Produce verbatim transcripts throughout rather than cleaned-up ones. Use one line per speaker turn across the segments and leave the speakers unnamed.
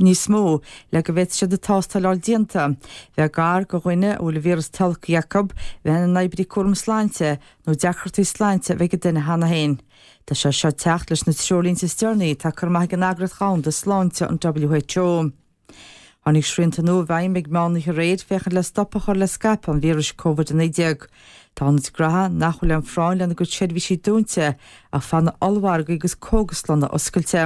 níos mó le go bhféadfaidh siad an tástáil a fháil déanta, bheith gar do dhuine a bhfuil an víreas tolgtha acu, bheith ina n-oibrí cúram sláinte nó deacrachtaí sláinte a bheith ag duine cheana féin. Tá sé seo ag teacht leis na treoirlínte is deireanaí atá curtha amach ag an Eagraíocht Dhomhanda Sláinte, an WHO. Tháinig srianta nua i bhfeidhm ag meán oíche aréir féachaint le stop a chur le scaipeadh an víris Covid a naoi déag. Tá ionaid gnaithe nach bhfuil aon phráinn lena gcuid seirbhísí dúnta ach fanfaidh ollmhargaí agus cógaslanna oscailte.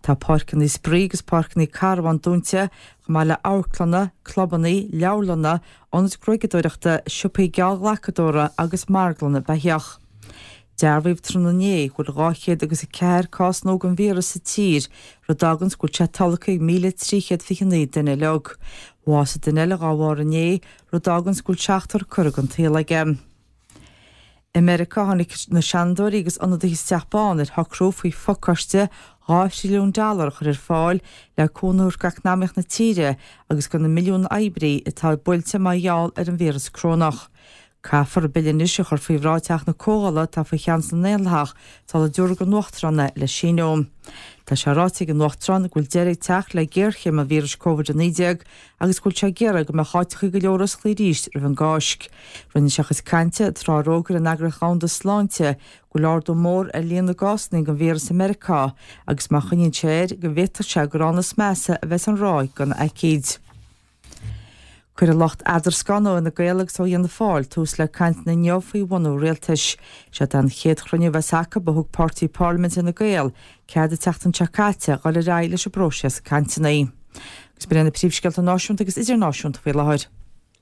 Tá páirceanna spraoi agus páirceanna carbhán dúnta, chomh maith le amharclanna, clubanna, leabharlanna, ionaid gruaigeadóireachta, siopaí geallghlacadóra agus marglanna beithíoch. Dearbhaíodh tráthnóna inné go bhfuil dhá chéad agus a ceathair cás nua den víreas sa tír, rud a fháganns go bhfuil sé tolgtha ag míle trí chéad fiche naoi duine uilig. Bhásaigh duine eile dhá bharr inné, rud a fháganns go bhfuil seachtar curtha den tsaol aige. I Meiriceá tháinig na Seanadóirí agus ionadaithe sa Teach Bán ar shocrú faoi phacáiste dhá thrilliún dollar a chur ar fáil le cúnamh a thabhairt d'eacnamaíocht na tíre agus do na milliúin oibrí atá buailte mar gheall ar an víreas corónach. Caithfear an bille anois a chur faoi bhráid Theach na Comhdhála atá faoi cheannas na nDaonlathach sula dtabharfaidh an Uachtarán é le síniú. Tá sé ráite ag an Uachtarán go bhfuil deireadh ag teacht le géarchéim an víris Covid a naoi déag agus go bhfuil sé ag iarraidh go mbeadh áiteacha go leor oscailte arís roimh an gCáisc. Rinne sé a chuid cainte tráth ar fhógair an Eagraíocht Dhomhanda Sláinte go bhfuil ardú mór ar líon na gcásanna den víreas i Meiriceá agus má choinníonn sé air go bhféadfadh sé gur ann is measa a bheas an ráig den aicíd. Cuirfidh lucht eadarscána ó Fhine Gael agus ó Fhianna Fáil tús le cainteanna inniu faoi bhunú rialtais. Seo é an chéad chruinniú a bheas acu ó thug páirtí parlaiminte Fhine Gael cead an tseachtain seo caite dul ar aghaidh leis an bpróiseas cainteanna. Agus b'in na príomhscéalta náisiúnta agus idirnáisiúnta faoi láthair.